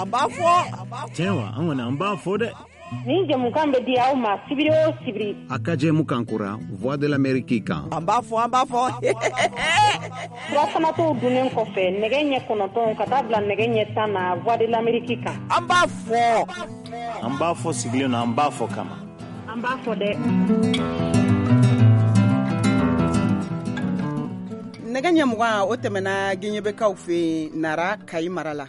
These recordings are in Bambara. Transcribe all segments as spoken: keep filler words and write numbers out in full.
An b'a fɔ. Tiɲɛ wa, an kɔni an b'a fɔ dɛ. Nin jɛmukan bɛ di aw ma sibiri o sibiri. A ka jɛmukan kura Voix de l'Amérique kan. An b'a fɔ, an b'a fɔ. Surafanato dunnen kɔfɛ nɛgɛ ɲɛ kɔnɔntɔn ka taa bila nɛgɛ ɲɛ tan na Voix de l'Amérique kan. An b'a fɔ. An b'a fɔ sigilen na, an b'a fɔ kama. An b'a fɔ dɛ. Nɛgɛ ɲɛ mugan o tɛmɛna Gɛɲɛbɛkaw fɛ yen Nara Kayi mara la.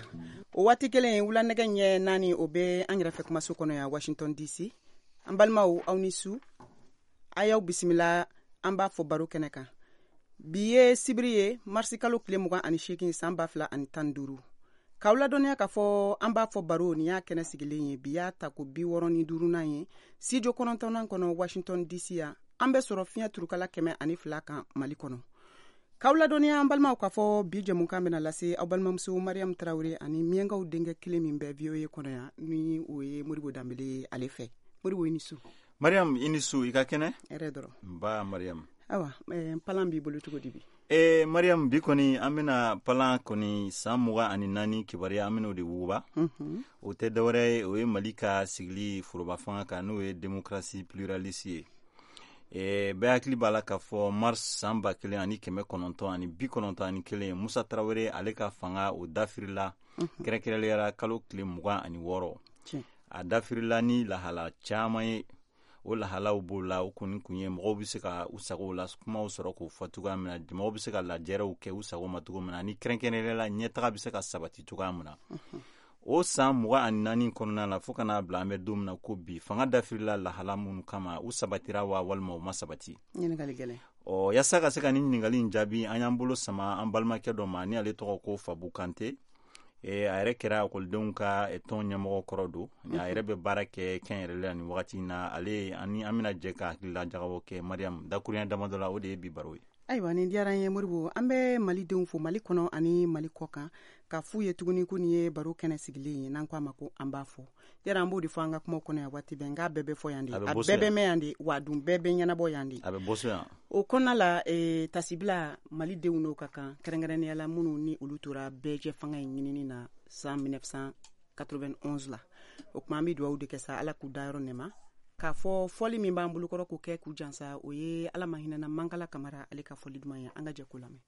O waati kelen wula nɛgɛ ɲɛ naani o bɛ an yɛrɛ fɛ kumaso kɔnɔ yan Washington D C. An balimaw aw ni su, a y'aw bisimila an b'a fɔ baro kɛnɛ kan. Bi ye sibiri ye marisi kalo tile mugan ani seegin san ba fila ani tan duuru. K'aw ladɔnniya k'a fɔ an b'a fɔ baro nin y'a kɛnɛ sigilen ye bi y'a ta ko bi wɔɔrɔ ni duurunan ye studio kɔnɔntɔnnan kɔnɔ Washington D C yan. An bɛ sɔrɔ fiɲɛ turukala kɛmɛ ani fila kan Mali kɔnɔ. K'aw ladɔnniya an balimaw k'a fɔ bi jɛmukan bɛna lase aw balimamuso Mariam Tarawele ani Miyankaw denkɛ kelen min bɛ V O A kɔnɔ yan ni o ye Modibo Danbele ye ale fɛ. Modibo i ni su. Mariam i ni su, i ka kɛnɛ? Hɛrɛ dɔrɔn. Nba Mariam. Awa, eh, palan b'i bolo cogo di bi? Eh, Mariam, bi kɔni an bɛna palan kɔni san mugan ani naani kibaruya an bɛn'o de wuguba. Mm-hmm. O tɛ dɔwɛrɛ ye, o ye Mali ka sigili foroba fanga kan n'o ye démocratie pluraliste ye. E, bɛɛ hakili b'a la k'a fɔ mars san ba kelen ani kɛmɛ kɔnɔntɔn ani bi kɔnɔntɔn ani kelen Musa Tarawele ale ka fanga o dafirila kɛrɛnkɛrɛnnenya la kalo tile mugan ani wɔɔrɔ. A dafirila ni lahala caman ye. O lahalaw b'o la, o kɔni kun ye mɔgɔw bɛ se ka u sago la kumaw sɔrɔ k'o fɔ cogoya min na, mɔgɔw bɛ se ka lajɛrɛw kɛ u sago ma cogo min na, ani kɛrɛnkɛrɛnnenya la ɲɛtaga bɛ se ka sabati cogoya min na. O san mugan ani naani kɔnɔna la fo ka n'a bila an bɛ don min na ko bi fanga dafirila lahala minnu kama u sabatira wa walima u ma sabati. Ɲininkali gɛlɛn. Ɔ yaasa ka se ka nin ɲininkali in jaabi an y'an bolo sama an balimakɛ dɔ ma ni ale tɔgɔ ko Fabu Kante. E, a yɛrɛ kɛra ekɔlidenw ka tɔn ɲɛmɔgɔ kɔrɔ don. A yɛrɛ bɛ baara kɛ kɛnyɛrɛye la nin wagati in na. Ale ani an bɛna jɛ ka hakilila jagabɔ kɛ Mariam dakuruɲɛ damadɔ la, o de ye bi baro ye. Ayiwa, nin diyara n ye Modibo. An bɛ Malidenw fo Mali kɔnɔ ani Mali kɔ kan ka f'u ye tuguni ko nin ye baro kɛnɛ sigilen ye n'an ko a ma ko an b'a fɔ. Yɛrɛ an b'o de fɔ an ka kumaw kɔnɔ yan waati bɛɛ, nka bɛɛ bɛ fɔ yan de, a bɛɛ bɛ mɛn yan de, wa dun bɛɛ bɛ ɲɛnabɔ yan de. A bɛ bɔ so yan. O kɔnɔna la e, tasibila Malidenw n'o ka kan kɛrɛnkɛrɛnnenya la minnu ni olu tora bɛɛjɛ fanga in ɲinini na san mille neuf cent quatre-vingt-onze la. O tuma an bɛ dugawu de kɛ sa Ala k'u dayɔrɔ nɛma. K'a fɔ fɔli min b'an bolokɔrɔ k'o kɛ k'u jansa o ye Ala ma hinɛna Mankala Kamara ale ka fɔli duman ye, an ka jɛ k'o lamɛn.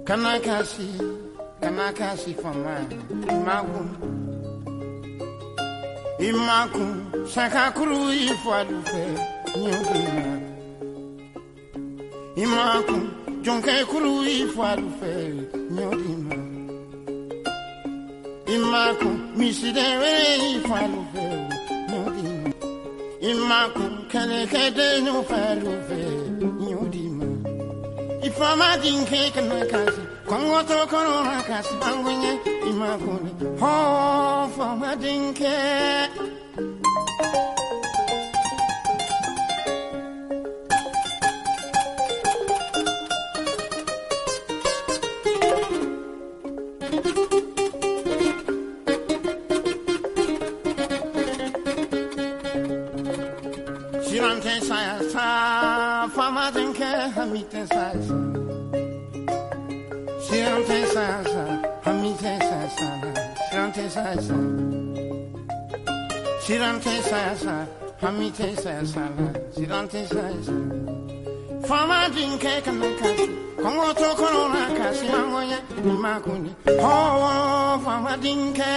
Kana kasi, kana kasi fama, imakun, imakun, sakakuru ifadufe, nyogina. Imakun, jonke kuru ifadufe, nyogina. Imakun, misidewe ifadufe, nyogina. Imakun, kelekede nufadufe, nyogina. Ifama dinke kana kasi, kongo to korona kasi, bangwenye imakune, ho fama dinke. hami tɛ sa sa. Siran tɛ sa sa, hami tɛ sa sa la. Siran tɛ sa sa. Siran tɛ sa sa, hami tɛ sa sa la. Siran tɛ sa sa. Faama denkɛ kana kasi, kɔngɔ to kɔnɔ na kasi an ŋɔɲɛ i ma kun ye. Hɔɔ faama denkɛ.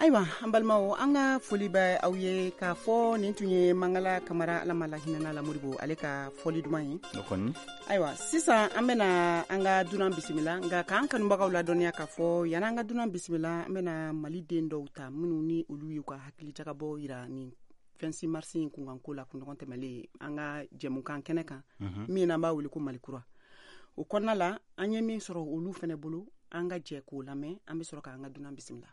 Ayiwa an balimaw, an ka foli bɛ aw ye k'a fɔ nin tun ye Mangala Kamara, Ala ma lahinɛna la Modibo, ale ka fɔli duman ye. O kɔni. Ayiwa sisan an bɛna an ka dunan bisimila, nka k'an kanubagaw ladɔnniya k'a fɔ yanni an ka dunan bisimila, an bɛna Mali den dɔw ta minnu ni olu y'u ka hakilijakabɔ yira nin vingt-six mars in kunkanko la kunɲɔgɔn tɛmɛlen an ka jɛmukan kɛnɛ kan, min n'an b'a wele ko Mali kura. O kɔnɔna la an ye min sɔrɔ olu fɛnɛ bolo, an ka jɛ k'o lamɛn, an bɛ sɔrɔ k'an ka dunan bisimila.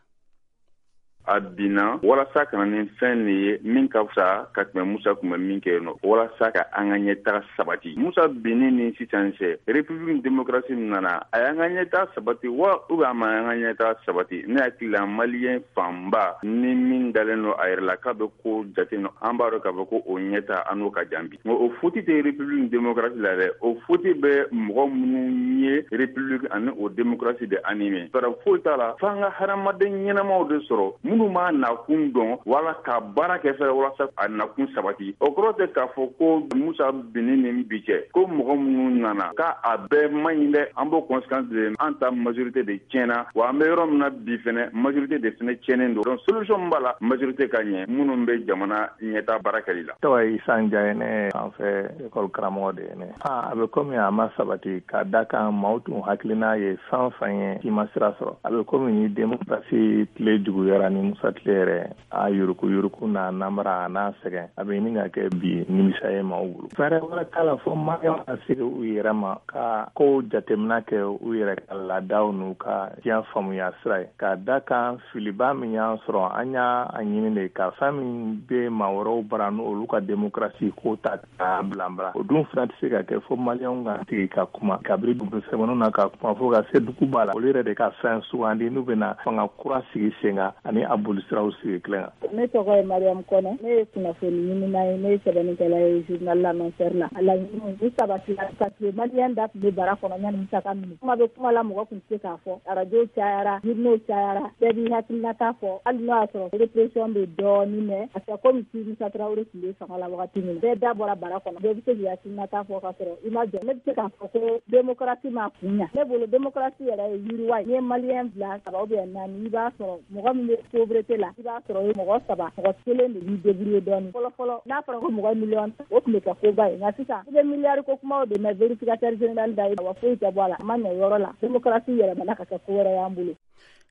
A binna walasa ka na ni fɛn de ye min ka fisa ka tɛmɛ Musa tun bɛ min kɛ yen nɔ, walasa ka an ka ɲɛtaga sabati. Musa binni ni sisan cɛ, République démocratie nana, a y'an ka ɲɛtaga sabati wa ou bien a ma an ka ɲɛtaga sabati? Ne hakili la maliyɛn fanba ni min dalen don a yɛrɛ la k'a bɛ ko jate nɔ, an b'a dɔn k'a fɔ ko o ɲɛta an n'o ka jan bi. Nka o faute tɛ République démocratie la dɛ, o faute bɛ mɔgɔ minnu ye République ani o démocratie de animé. Fɛɛrɛ foyi t'a la f'an ka hadamaden ɲɛnamaw de sɔrɔ minnu m'a nakun dɔn wala ka baara kɛ fɛnɛ walasa a nakun sabati. O kɔrɔ tɛ k'a fɔ ko Musa binni ni bi cɛ ko mɔgɔ minnu nana k'a a bɛɛ man ɲi dɛ. An b'o conséquence de, an ta majorité de tiɲɛna, wa an bɛ yɔrɔ min na bi fɛnɛ majorité de fɛnɛ tiɲɛnen don. Donc solution min b'a la, majorité ka ɲɛ minnu bɛ jamana ɲɛta baara kɛli la. Tɔgɔ ye Isa Njaye, ne an fɛ école karamɔgɔ de ye ne. A bɛ komi a ma sabati ka da kan maaw tun hakilina ye fɛn fɛn ye k'i ma sira sɔrɔ. A bɛ komi ni démocratie tile juguyara ni Musa tile yɛrɛ, a yuruku yuruku n'a namara a n'a sɛgɛn, a bɛ ɲini ka kɛ bi nimisa ye maaw bolo. Fɛɛrɛ wɛrɛ t'a la fo maliyɛnw ka sigi u yɛrɛ ma ka kow jateminɛ kɛ u yɛrɛ ka laadaw n'u ka diɲɛ faamuya sira ye. Ka da kan filiba min y'an sɔrɔ, an y'a ɲini de ka fɛn min bɛ maa wɛrɛw bara n'olu ka démocratie ko ta k'a bila bara. O dun fana tɛ se ka kɛ fo maliyɛnw ka sigi ka kuma kabiri dugu sɛbɛnniw na ka kuma fo ka se duguba la. Olu yɛrɛ de ka fɛn sugandi n'u bɛna fanga kura sigi sen kan ani a bolisiraw sigi kelen kan. Ne tɔgɔ ye Mariam Kɔnɛ, ne ye kunnafoni ɲinina ye, ne ye sɛbɛnnikɛla ye journal L'Annonceur la. A laɲiniw ni sabatila parce que maliyɛn da tun bɛ bara kɔnɔ yanni Musa ka minɛ. Kuma bɛ kuma la, mɔgɔ tun tɛ se k'a fɔ. Arajo cayara, journaux cayara, bɛɛ b'i hakilinata fɔ. Hali n'o y'a sɔrɔ répression bɛ dɔɔnin mɛ, parce que komi si Musa Tarawele tun bɛ fanga la wagati min na, bɛɛ da bɔra bara kɔnɔ, bɛɛ bɛ se k'i hakilinata fɔ k'a sɔrɔ i ma jɔ. Ne bɛ se k'a fɔ ko démocratie ma kun ɲa. Ne bolo démocratie yɛrɛ ye yiriwa ye. N'i ye maliyɛn bila saba ou bien naani, i b'a sɔrɔ mɔgɔ min bɛ pauvreté la, i b'a sɔrɔ mɔgɔ saba, mɔgɔ kelen de b'i débrouiller dɔɔnin. Fɔlɔ fɔlɔ n'a fɔra ko mɔgɔ miliyɔn, o tun bɛ kɛ koba ye. Nka sisan i bɛ miliyari ko kumaw de mɛn vérificateur général da ye, wa foyi tɛ bɔ a la, a ma ɲɛ yɔrɔ la. Démocratie yɛlɛmana ka kɛ ko wɛrɛ y'an bolo.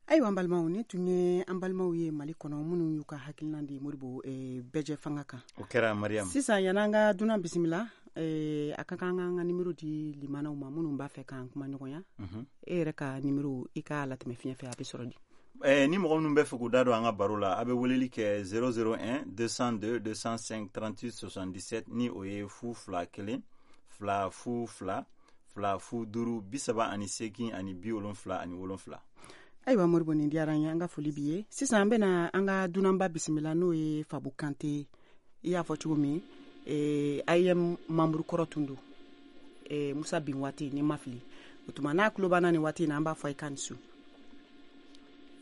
Ayiwa an balimaw, ne tun ye an balimaw ye Mali kɔnɔ minnu y'u ka hakilina di Modibo bɛɛjɛ fanga kan. O kɛra Mariam. Sisan yan'an an ka dunan bisimila, eh, a ka kan an ka nimero di limanaw ma minnu b'a fɛ k'an kuma ɲɔgɔnya. E yɛrɛ ka nimero i k'a latɛmɛ fiɲɛ fɛ, a bɛ sɔrɔ di? Eh, ni mɔgɔ minnu bɛ fɛ k'u da don an ka baro la, a bɛ weleli kɛ zéro zéro un deux cent deux deux cent cinq trente-huit soixante-dix-sept, ni o ye fu fila kelen fila fu fila fila fu duuru bi saba ani seegin ani bi wolonfila ani wolonfila. Ayiwa Modibo, nin diyara an ye, an ka foli b'i ye. Sisan an bɛna an ka dunanba bisimila, n'o ye Fabu Kante. I y'a fɔ cogo min, eh, A I M membre kɔrɔ tun don, eh, Musa bin waati ni ma fili. O tuma n'a tulo banna nin waati in na, an b'a fɔ i ka nin su.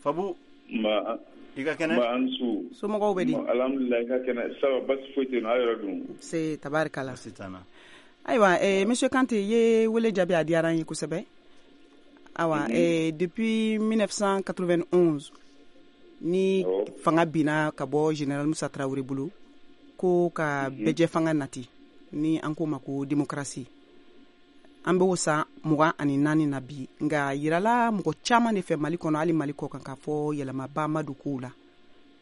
Fabu, ma i ka kɛnɛ? Ma an su. Somɔgɔw bɛ di? Alhamdulilayi, i ka kɛnɛ. Ça va, basi foyi tɛ yen nɔ, aw yɛrɛ dun? Se tabarikala. Basi t'an na. Ayiwa, eh, monsieur Kante, i ye wele jaabi, a diyara an ye kosɛbɛ. Awa, mm -hmm. eh, depuis mille neuf cent quatre-vingt-onze ni oh. fanga binna ka bɔ général Musa Traoré bolo ko ka mm -hmm. bɛjɛ fanga nati, ni an k'o ma ko démocratie, an b'o san mugan ani naani na bi. Nka yirala mɔgɔ caman de fɛ Mali kɔnɔ, hali Mali kɔ kan, k'a fɔ yɛlɛmaba ma don kow la.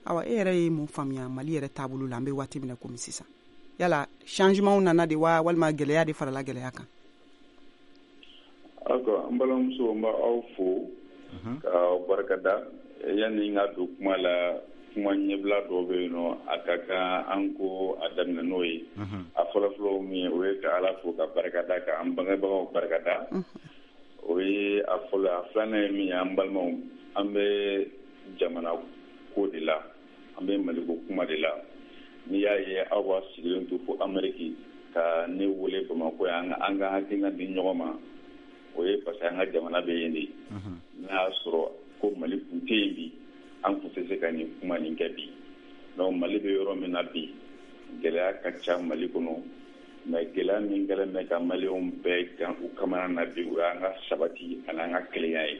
Awa, e yɛrɛ ye mun faamuya Mali yɛrɛ taabolo la an bɛ waati min na komi sisan? Yala changement nana de wa, walima gɛlɛya de farala gɛlɛya kan? D'accord, n balimamuso, n b'aw fo k'aw barikada. Yanni n ka don kuma la, Kuma ɲɛbila dɔw bɛ yen nɔ, a ka kan an ko a daminɛ n'o ye. A fɔlɔfɔlɔ min ye, o ye ka Ala fo ka barikada, ka an bangebagaw barikada. O ye a fɔlɔ. A filanan ye min ye, an balimaw, an bɛ jamana ko de la, an bɛ Maliko kuma de la. N'i y'a ye aw b'a sigilen to fo Amérique ka ne wele Bamakɔ yan, an ka hakilina di ɲɔgɔn ma, o ye parce que an ka jamana bɛ yen de. N'a y'a sɔrɔ ko Mali kun tɛ yen bi, an kun tɛ se ka nin kuma nin kɛ bi. Donc Mali bɛ yɔrɔ min na bi, gɛlɛya ka ca Mali kɔnɔ, mais gɛlɛya min kɛlen bɛ ka maliyɛnw bɛɛ gan u kamana na bi, o y'an ka sabati ani an ka kelenya ye.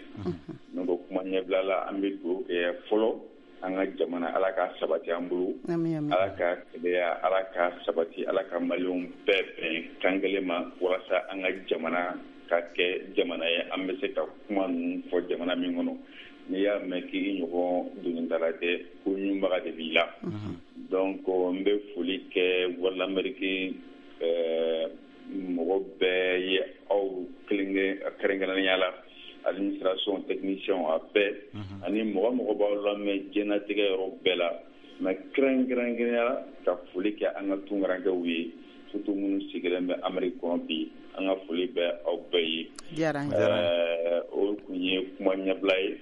Donc kuma ɲɛbila la, an bɛ dugawu kɛ fɔlɔ an ka jamana, Ala ka sabati an bolo, Ala ka kelenya, Ala ka sabati, Ala ka maliyɛnw bɛɛ bɛn kan kelen ma, walasa an ka jamana ka kɛ jamana ye an bɛ se ka kuma ninnu fɔ jamana min kɔnɔ. N'i y'a mɛn k'i ɲɔgɔn donitala tɛ, ko ɲunbaga de b'i la. Donc n bɛ foli kɛ Voix de l'Amérique mɔgɔ bɛɛ ye, aw kɛrɛnkɛrɛnnenya la administration, technicien, a bɛɛ, ani mɔgɔ mɔgɔ b'aw lamɛn diɲɛlatigɛ yɔrɔ bɛɛ la. Mais kɛrɛnkɛrɛnnenya la, ka foli kɛ an ka tunkarankew ye, surtout minnu sigilen bɛ Amérique kɔnɔ bi, an ka foli bɛ aw bɛɛ ye. O kun ye kuma ɲɛbila ye.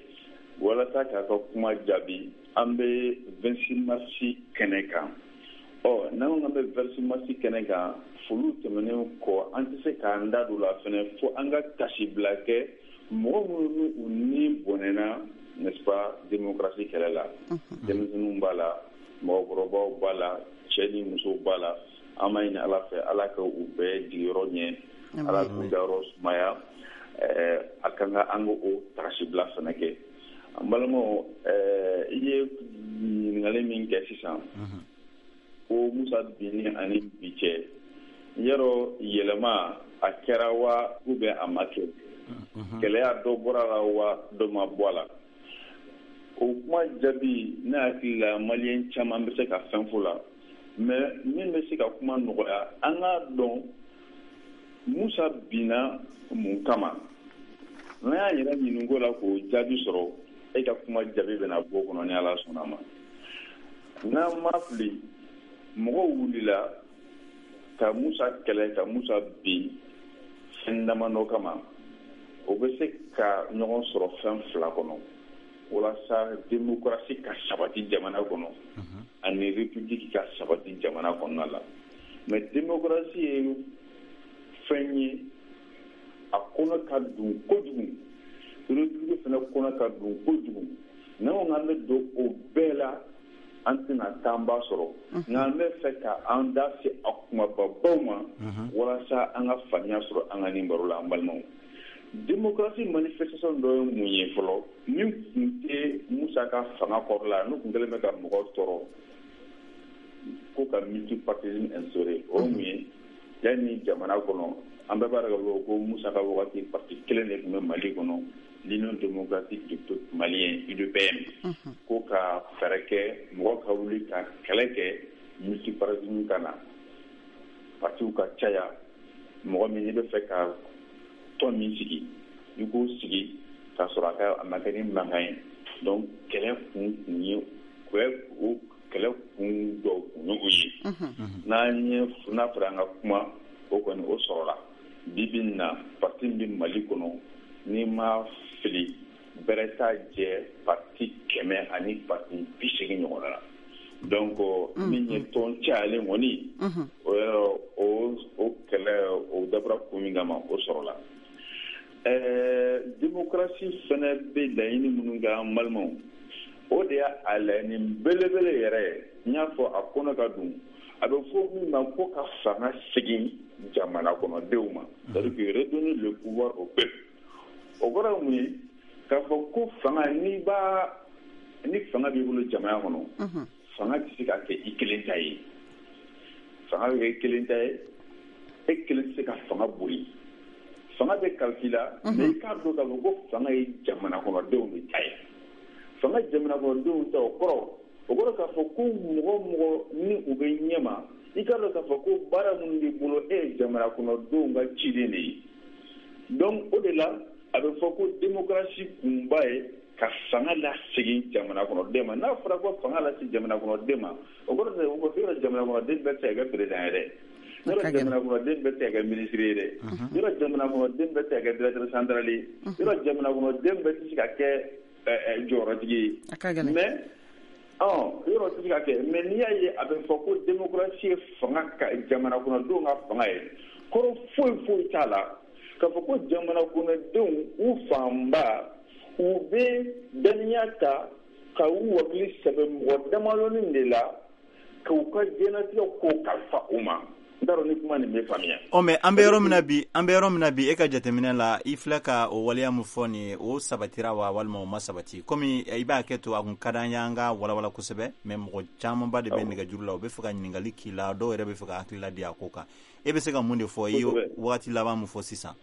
Walasa k'a ka kuma jaabi, an bɛ vingt-six mars kɛnɛ kan. Ɔ n'an ko k'an bɛ vingt-six mars kɛnɛ kan, foliw tɛmɛnen kɔ, an tɛ se k'an da don la fɛnɛ fo an ka tasibila kɛ mɔgɔ minnu n'u ni bɔnɛna, n'est-ce pas, démocratie kɛlɛ la. Denmisɛnninw b'a la, mɔgɔkɔrɔbaw b'a la, cɛ ni musow b'a la. An b'a ɲini Ala fɛ, Ala ka u bɛɛ jigiyɔrɔ ɲɛ, Ala k'u dayɔrɔ sumaya. A kan ka an k'o tasibila fɛnɛ kɛ. An balimaw, i ye ɲininkali min kɛ sisan, ko Musa binni ani bi cɛ, yɔrɔ yɛlɛma a kɛra wa ou bien a ma kɛ, gɛlɛya dɔ bɔra la wa dɔ ma bɔ a la, o kuma jaabi, ne hakili la maliyɛn caman bɛ se ka fɛn fɔ la. Mais min bɛ se ka kuma nɔgɔya, an k'a dɔn Musa binna mun kama. N'an y'an yɛrɛ ɲininko la k'o jaabi sɔrɔ, e ka kuma jaabi bɛna bɔ kɔnɔ ni Ala sɔnna ma. N'an ma fili, mɔgɔw wulila ka Musa kɛlɛ, ka Musa bin fɛn damadɔ kama. O bɛ se ka ɲɔgɔn sɔrɔ fɛn fila kɔnɔ, walasa démocratie ka sabati jamana kɔnɔ ani république ka sabati jamana kɔnɔna la. Mais démocratie ye fɛn ye, a kɔnɔ ka dun kojugu, république fana kɔnɔ ka dun kojugu. N'an ko k'an bɛ don o bɛɛ la, an tɛna taanba sɔrɔ. Nka an bɛ fɛ ka an da se a kumababaw ma, walasa an ka faamuya sɔrɔ an ka nin baro la. An balimaw, démocratie manifestation dɔ ye mun ye fɔlɔ, min tun tɛ Musa ka fanga kɔrɔ la, n'u tun kɛlen bɛ ka mɔgɔw tɔɔrɔ ko ka multipartisme instauré. O ye mun ye? Yanni jamana kɔnɔ, an bɛɛ b'a dɔn k'a fɔ ko Musa ka wagati, parti kelen de tun bɛ Mali kɔnɔ, l'Union démocratique du peuple malien, U D P M. Ko ka fɛɛrɛ kɛ mɔgɔ ka wuli ka kɛlɛ kɛ multipartisme ka na, partiw ka caya, mɔgɔ min n'i bɛ fɛ ka tɔn min sigi, i k'o sigi k'a sɔrɔ a ka a ma kɛ ni mankan ye. Donc kɛlɛ kun kun ye o kɛlɛ kun dɔw kun ye o ye. N'an ye n'a fɔra an ka kuma, o kɔni o sɔrɔla. Bi bi in na, parti min bɛ Mali kɔnɔ, n'i ma fili, bɛrɛ t'a jɛ parti kɛmɛ ani parti bi seegin ɲɔgɔn na. Donc min ye tɔn cayalen kɔni, o yɔrɔ o o kɛlɛ o dabɔra kun min kama, o sɔrɔla. Ɛɛ démocratie fana bɛ laɲini minnu kɛ, an balimaw, o de y'a laɲini belebele yɛrɛ ye. N y'a fɔ a kɔnɔ ka dun, a bɛ fɔ min ma ko ka fanga segin jamana kɔnɔdenw ma, c'est-à-dire que redonner le pouvoir au peuple. O kɔrɔ ye mun ye? K'a fɔ ko fanga, n'i b'a ni fanga b'i bolo jamana kɔnɔ, fanga tɛ se ka kɛ i kelen ta ye. Fanga bɛ kɛ i kelen ta ye, e kelen tɛ se ka fanga boli. Fanga bɛ kalifa i la, mais i k'a dɔn k'a fɔ ko fanga ye jamana kɔnɔdenw de ta ye. Fanga jamana kɔnɔdenw ta, o kɔrɔ o kɔrɔ k'a fɔ ko mɔgɔ mɔgɔ ni u bɛ ɲɛma, i k'a dɔn k'a fɔ ko baara minnu b'i bolo, e ye jamana kɔnɔdenw ka ciden de ye. Donc o de la a bɛ fɔ ko démocratie kunba ye Ka fanga lasegin jamana kɔnɔden ma. N'a fɔra ko fanga lasegin jamana kɔnɔden ma, o kɔrɔ tɛ ko yɔrɔ jamana kɔnɔden bɛɛ tɛ se ka kɛ président ye dɛ, yɔrɔ jamana kɔnɔden bɛɛ tɛ se ka kɛ ministre ye dɛ, yɔrɔ jamana kɔnɔden bɛɛ tɛ se ka kɛ directeur central ye, yɔrɔ jamana kɔnɔden bɛɛ tɛ se ka kɛ jɔyɔrɔtigi ye. Mais ɔ yɔrɔ tɛ se ka kɛ. Mais n'i y'a ye a bɛ fɔ ko démocratie ye fanga ka jamana kɔnɔdenw ka fanga ye, kɔrɔ foyi foyi t'a la k'a fɔ ko jamana kɔnɔdenw u fanba u bɛ dɔnniya ta ka u wakili sɛbɛn mɔgɔ damadɔnin de la k'u ka diɲɛlatigɛ ko kalifa u ma. N t'a dɔn ni kuma nin bɛ faamuya. Ɔ mais an bɛ yɔrɔ min na bi, an bɛ yɔrɔ min na bi, e ka jateminɛ la, i filɛ ka o waleya min fɔ nin ye, o sabatira wa walima o ma sabati? Komi i b'a kɛ to a kun ka d'an ye an ka walawala kosɛbɛ, mais mɔgɔ camanba de bɛ nɛgɛjuru la, u bɛ fɛ ka ɲininkali k'i la, dɔw yɛrɛ bɛ fɛ ka hakilila di a ko kan. E bɛ se ka mun de fɔ? I ye wagati laban min fɔ sisan.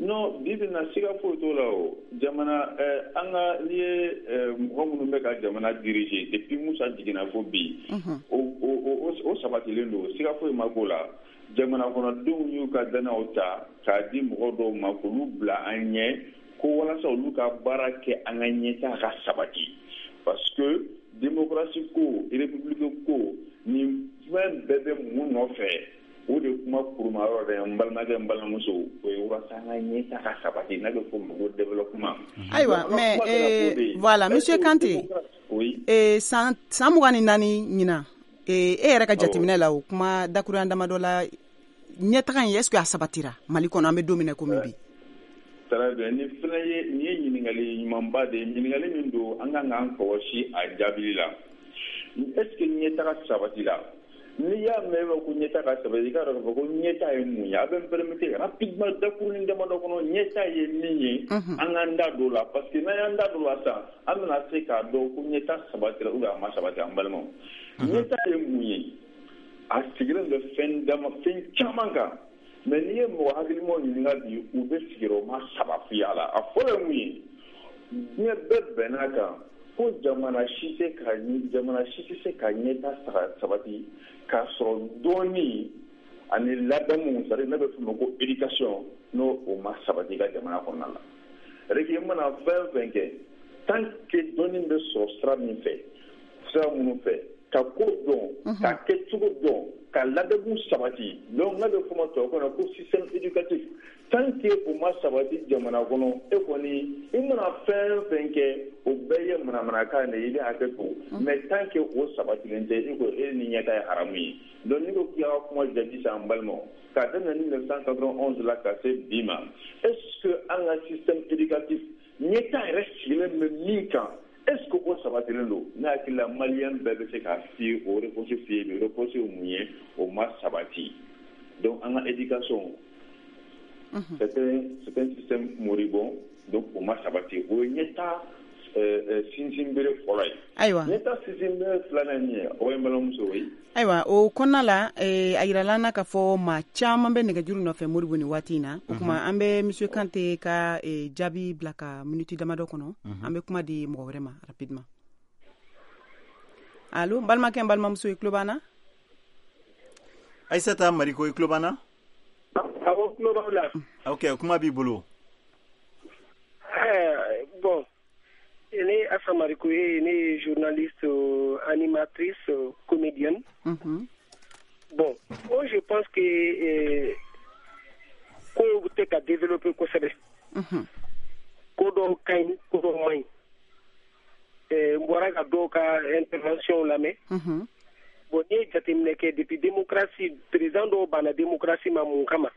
Non, bi bi na siga foyi t'o la. O jamana an ka, n'i ye mɔgɔ minnu bɛ ka jamana diriger depuis Musa jiginna fo bi, o o o sabatilen don, siga foyi ma k'o la. Jamana kɔnɔdenw y'u ka danaw ta k'a di mɔgɔ dɔw ma k'olu bila an ɲɛ ko walasa olu ka baara kɛ an ka ɲɛtaa ka sabati, parce que démocratie ko, république ko, nin fɛn bɛɛ bɛ mun nɔfɛ? O de kuma kuruma yɔrɔ dɛ, n balimakɛ, n balimamuso, o ye walasa an ka ɲɛtaa ka sabati, n'a bɛ fɔ o ma ko développement. Ayiwa, mais eh, voilà, monsieur Kante, oui, eh, san san mugan ni naani ɲinan, eh, e yɛrɛ ka jateminɛ la, o kuma dakurunya damadɔ la, ɲɛtaga in, est ce que a sabatira Mali kɔnɔ an bɛ don min na komi bi? Très bien, nin fana ye nin ye ɲininkali ɲumanba de ye, ɲininkali min don an kan k'an kɔlɔsi a jaabili la. Est ce que ɲɛtaga sabatira? N'i y'a mɛn ko ɲɛtaa ka sabati, i k'a dɔn k'a fɔ ko ɲɛtaa ye mun ye. A bɛ n permettre rapidement dakurunin damadɔ kɔnɔ, ɲɛtaa ye min ye, an k'an da don o la, parce que n'an y'an da don o la sisan, an bɛna se k'a dɔn ko ɲɛtaa sabatira ou bien a ma sabati. An balimaw, ɲɛtaa ye mun ye? A sigilen bɛ fɛn dama fɛn caman kan, mais n'i ye mɔgɔ hakilimaw ɲininka bi, u bɛ sigiyɔrɔma saba f'i ye a la. A fɔlɔ ye mun ye? Diɲɛ bɛɛ bɛnn'a kan ko jamana si tɛ ka jamana si tɛ se ka ɲɛtaa sabati k'a sɔrɔ dɔɔni ani ladamu, c'est à dire n'a bɛ f'o ma ko éducation, n'o o ma sabati i ka jamana kɔnɔna la. C'est à dire que i mana fɛn fɛn kɛ, tant que dɔnni bɛ sɔrɔ sira min fɛ, sira minnu fɛ, ka ko dɔn, ka kɛcogo dɔn, ka ladamu sabati, donc n'a bɛ f'o ma tubabukan na ko système éducatif, tant que o ma sabati jamana kɔnɔ, e kɔni i mana fɛn fɛn kɛ, o bɛɛ ye manamanakan de ye, i bɛ hakɛ to. Mais tant que o sabatilen tɛ, e ko e ni ɲɛta ye haramu ye. Donc n'i ko k'i ka kuma jaabi sisan, an balimaw, k'a daminɛ mille neuf cent quatre-vingt-onze la ka se bi ma, est ce que an ka système éducatif ɲɛta yɛrɛ sigilen bɛ min kan, est ce que o sabatilen don? Ne hakili la, maliyɛn bɛɛ bɛ se k'a f'i ye, o réponse f'i ye bi, réponse ye mun ye? O ma sabati. Donc an ka éducation, c'est un c'est un système moribond, donc o ma sabati. O ye ɲɛta sinsinbere fɔlɔ ye. Ayiwa, ɲɛta sinsinbere filanan ye min ye, o ye n balimamuso ye. Ayiwa, o kɔnɔna la, a yirala an na k'a fɔ maa caman bɛ nɛgɛjuru nɔfɛ Modibo nin waati in na. O tuma an bɛ monsieur Kante ka jaabi bila ka minute damadɔ kɔnɔ, an bɛ kuma di mɔgɔ wɛrɛ ma rapidement. Allo, n balimakɛ, n balimamuso, i tulo b'an na? Aïssata Mariko, i tulo b'an na? Awɔ, tulo b'aw la. Ok, kuma b'i bolo. Bon, ne Assa Mariko ye, ne ye journaliste, animatrice, comédienne. Mm -hmm. Bon, moi je pense que eh, kow tɛ ka développer kosɛbɛ. Mm -hmm. Ko dɔw ka ɲi, ko dɔw man ɲi. N bɔra ka dɔw ka intervention lamɛn. Mm -hmm. Bon, n'i ye jateminɛ kɛ depuis démocratie, président dɔw banna démocratie ma mun kama?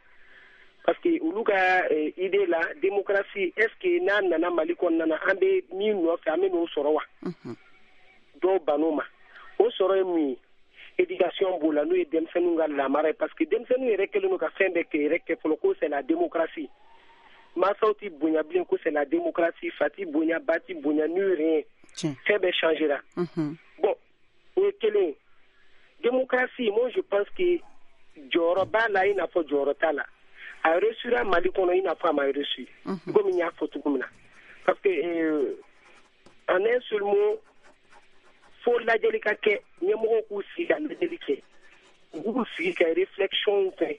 Parce que olu ka eh, idée la, démocratie, est ce que n'a nana Mali kɔnɔna na, an bɛ min nɔfɛ, an bɛ n'o sɔrɔ wa? Dɔw bann'o ma. O sɔrɔ ye mun ye? Éducation b'o la, n'o ye denmisɛnninw ka lamara ye, parce que denmisɛnninw yɛrɛ kɛlen don ka fɛn bɛɛ kɛ yɛrɛ kɛ fɔlɔ ko c'est la démocratie. Mansaw ti bonya bilen ko c'est la démocratie, fa ti bonya, ba ti bonya, ni rien. Fɛn bɛɛ changera. Bon, o ye kelen ye. Démocratie, moi je pense que jɔyɔrɔ b'a la i n'a fɔ jɔyɔrɔ t'a la. A réussira Mali kɔnɔ i n'a fɔ a ma réussi. Komi n y'a fɔ cogo min na. Parce que euh, en un seul mot, fo lajɛli ka kɛ, ɲɛmɔgɔw k'u sigi ka lajɛli kɛ, u k'u sigi ka réflexion kɛ.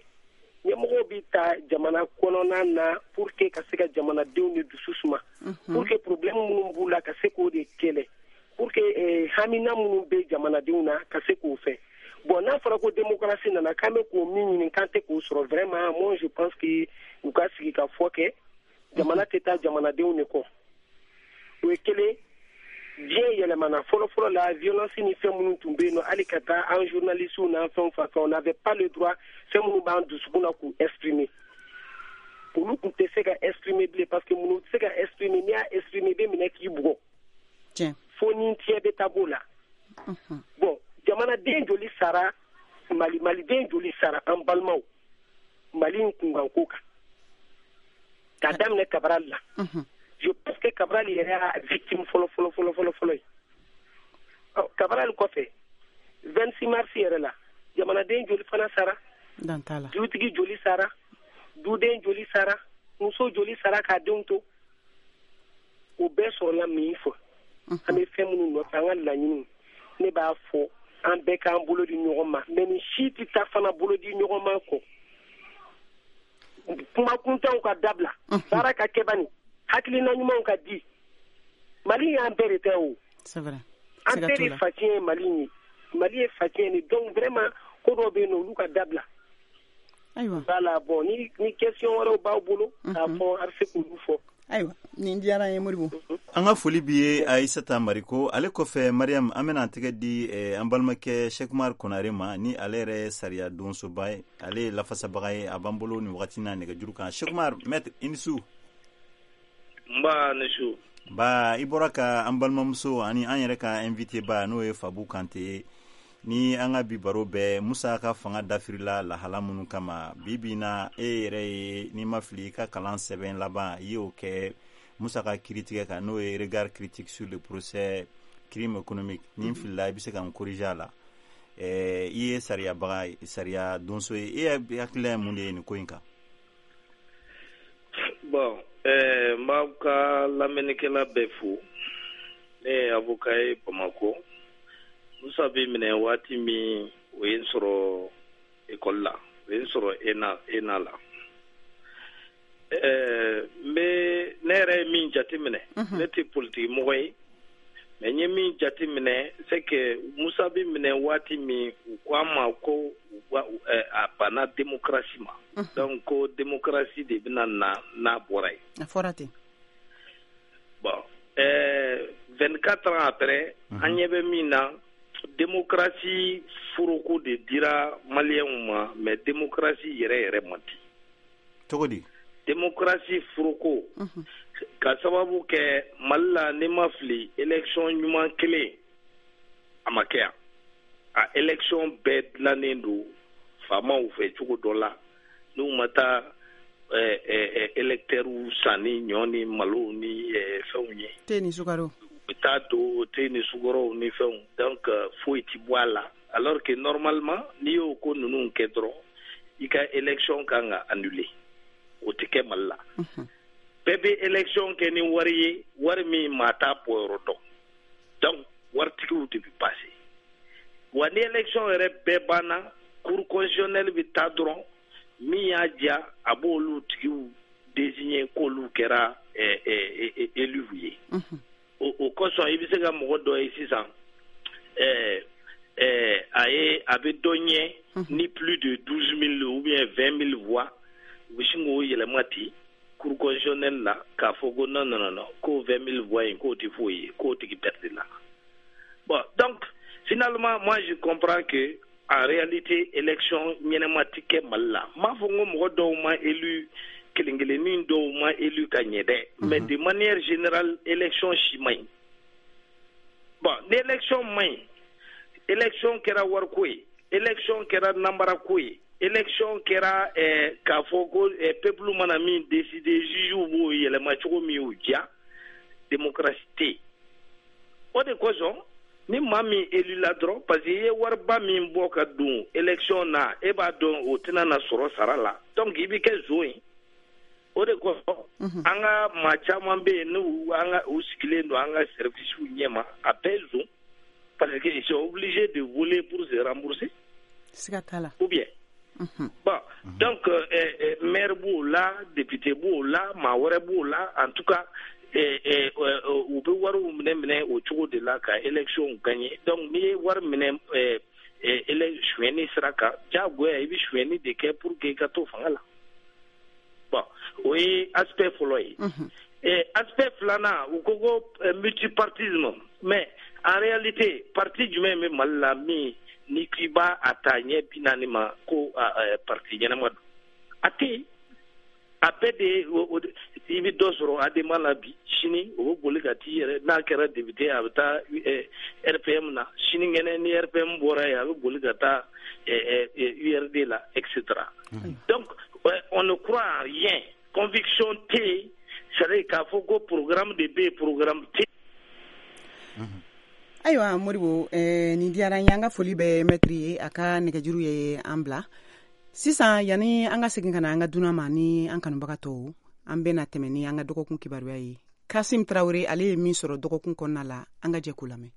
Ɲɛmɔgɔw bɛ ta jamana kɔnɔna na pour que ka se ka jamanadenw de dusu suma, pour que problème minnu b'u la ka se k'o de kɛlɛ, pour que eh, hamina minnu bɛ jamanadenw na ka se k'o fɛ. Bon, n'a fɔra ko démocratie nana, k'an bɛ k'o min ɲini k'an tɛ k'o sɔrɔ, vraiment, moi je pense que u ka sigi ka fɔ kɛ jamana tɛ taa jamanadenw de kɔ. O ye kelen. Diɲɛ yɛlɛmana. Fɔlɔ-fɔlɔ la, violence ni fɛn minnu tun bɛ yen nɔ, hali ka taa an journalistes n'an fɛnw fan fɛn, on n'avait pas le droit fɛn minnu b'an dusukun na k'u exprimer. Olu tun tɛ se ka exprimer bilen, parce que minnu tɛ se ka exprimer, n'i y'a exprimer, i bɛ minɛ k'i bugɔ fo ni tiɲɛ bɛ taa b'o la. Bon, jamanaden joli sara Mali, maliden joli sara, an balimaw, Mali in kunkanko kan, k'a daminɛ Cabral la. Je pense que Cabral yɛrɛ y'a victime fɔlɔ fɔlɔ fɔlɔ fɔlɔ fɔlɔ ye. Ɔ, Cabral kɔfɛ, vingt-six mars yɛrɛ la, jamanaden joli fana sara? Dutigi joli sara? Duden joli sara? Muso joli sara k'a denw to? O bɛɛ sɔrɔla min fɔ, an bɛ fɛn minnu nɔfɛ, an ka laɲiniw, ne b'a fɔ an bɛɛ k'an bolo di ɲɔgɔn ma, mais nin si tɛ taa fana bolo di ɲɔgɔn ma kɔ. Kuma kuntanw ka dabila, baara ka kɛ bani, hakilina ɲumanw ka di. Mali y'an bɛɛ de tɛ o, an bɛɛ de faciyɛn ye Mali ye. Mali ye faciyɛn de. Donc vraiment, ko dɔw bɛ yen nɔ, olu ka dabila. Ayiwa, voilà. Bon, ni ni question wɛrɛw b'aw bolo k'a fɔ, a bɛ se k'olu fɔ. Ayiwa, nin diyara an ye, Modibo. An ka foli b'i ye, Ayisata Mariko. Ale kɔfɛ, Mariam, an bɛna tɛgɛ di eh, an balimakɛ Sekumar Konare ma, ni ale yɛrɛ ye sariya donsoba ye, ale ye lafasabaga ye. A b'an bolo nin wagati n'a nɛgɛjuru kan. Sekumar, maître, i ni su. Nba, ni su. Ba, i bɔra ka an balimamuso ani an yɛrɛ ka invité ba, n'o ye Fabu Kante ye, ni an ka bi baro bɛɛ Musa ka fanga dafirila lahala minnu kama bi bi na. E yɛrɛ ye, n'i ma fili, i ka kalan sɛbɛn laban, i y'o kɛ Musa ka kiritigɛ kan, n'o ye Regard critique sur le procès crime économique. Ni n filila, i bɛ se ka n corriger a la. I ye sariyabaga, sariya donso ye. E hakilila ye mun de ye nin ko in kan? Bon, eh, n b'aw ka lamɛnnikɛla bɛɛ fo. Ne ye avocat ye Bamakɔ. Musa bɛ minɛ waati min, o ye n sɔrɔ ekɔli la, o ye n sɔrɔ ENA ENA la. Ɛɛ n bɛ, ne yɛrɛ ye min jateminɛ, ne tɛ politiki mɔgɔ ye, mais n ye min jateminɛ, c'est que Musa bɛ minɛ waati min, u ko an ma ko a banna démocratie ma, donc ko démocratie de bɛna na n'a bɔra yen. A fɔra ten. Bon, ɛɛ vingt-quatre ans après, an ɲɛ bɛ min na, démocratie foroko de dira maliyɛnw ma, mais démocratie yɛrɛ yɛrɛ man di. Cogo di? Démocratie foroko, ka sababu kɛ Mali la, n'i ma fili, élection ɲuman kelen a ma kɛ yan. A élection bɛɛ dilannen don faamaw fɛ cogo dɔ la, n'u ma taa électeurs san ni ɲɔ ni malo ni fɛnw ye. Te ni sukaro. U bɛ taa don te ni sukaro ni fɛnw, donc foyi ti bɔ a la, alors que normalement n'i y'o ko ninnu kɛ dɔrɔn, i ka élection kan ka annuler. O tɛ kɛ Mali la. Bɛɛ bɛ élection kɛ ni wari ye, wari min maa t'a bɔyɔrɔ dɔn, donc waritigiw de bɛ passer. Wa ni élection yɛrɛ bɛɛ banna, cour constitutionnelle bɛ taa dɔrɔn, min y'a diya a b'olu tigiw désigner k'olu kɛra élus ye. O kosɔn i bɛ se ka mɔgɔ dɔ ye sisan, ɛɛ ɛɛ a ye a bɛ dɔ ɲɛ ni plus de douze mille ou bien vingt mille voix, u bɛ sin k'o yɛlɛma ten cour constitutionnelle la k'a fɔ ko non non non, k'o vingt mille voix in k'o tɛ foyi ye, k'o tigi perdre la. Bon, donc finalement, moi je comprends que en réalité élection ɲɛnɛma tɛ kɛ Mali la. N m'a fɔ n ko mɔgɔ dɔw ma élu, kelen kelennin dɔw ma élu ka ɲɛ dɛ, mais de manière générale élection si man ɲi. Bon, ni élection man ɲi, élection kɛra wariko ye, élection kɛra nanbarako ye, élection kɛra eh, k'a fɔ ko eh, peuple mana min décider, juge b'o yɛlɛma cogo min y'u diya, démocratie tɛ yen. O de kosɔn ni maa min élu la dɔrɔn, parce que i ye wariba min bɔ ka don élection na, e b'a dɔn o tɛna na sɔrɔ sara la, donc i bɛ kɛ zon ye. O de kosɔn an ka maa caman bɛ yen, n'u an ka u sigilen don an ka service ɲɛma, a bɛɛ zon, parce que ils sont obligés de voler pour se rembourser. Siga t'a la. Ou bien Bon, donc euh, euh, maire b'o la, député b'o la, maa wɛrɛ b'o la, en tout cas u bɛ wariw minɛ minɛ o cogo de la ka élection gagner. Donc n'i ye wari minɛ sonyɛni sira kan, diyagoya i bɛ sonyɛni de kɛ pour que i ka to fanga la. Bon, o ye aspect fɔlɔ ye. Aspect filanan, u ko ko multipartisme, mais en réalité parti jumɛn bɛ Mali la min ni k'i b'a a ta ɲɛ bi naani ma ko parti ɲɛnama don? A tɛ yen. A bɛɛ de i bɛ dɔ sɔrɔ ADEMA la bi, sini o bɛ boli ka t'i yɛrɛ, n'a kɛra député a bɛ taa R P M na, sinikɛnɛ ni R P M bɔra yen a bɛ boli ka taa U R D la, et cetera. Donc on ne croit en rien, conviction tɛ yen, c'est-à-dire k'a fɔ ko programme de bɛ yen, programme tɛ yen. Ayiwa Modibo, eh, nin diyara n ye. An ka foli bɛ mɛtiri ye, a ka nɛgɛjuru ye an bila sisan. Yanni an ka segin ka na an ka dunan ma ni an kanubaga tɔw, an bɛna tɛmɛ ni an ka dɔgɔkun kibaruya ye. Kasim Tarawele, ale ye min sɔrɔ dɔgɔkun kɔnɔna la, an ka jɛ k'o lamɛn.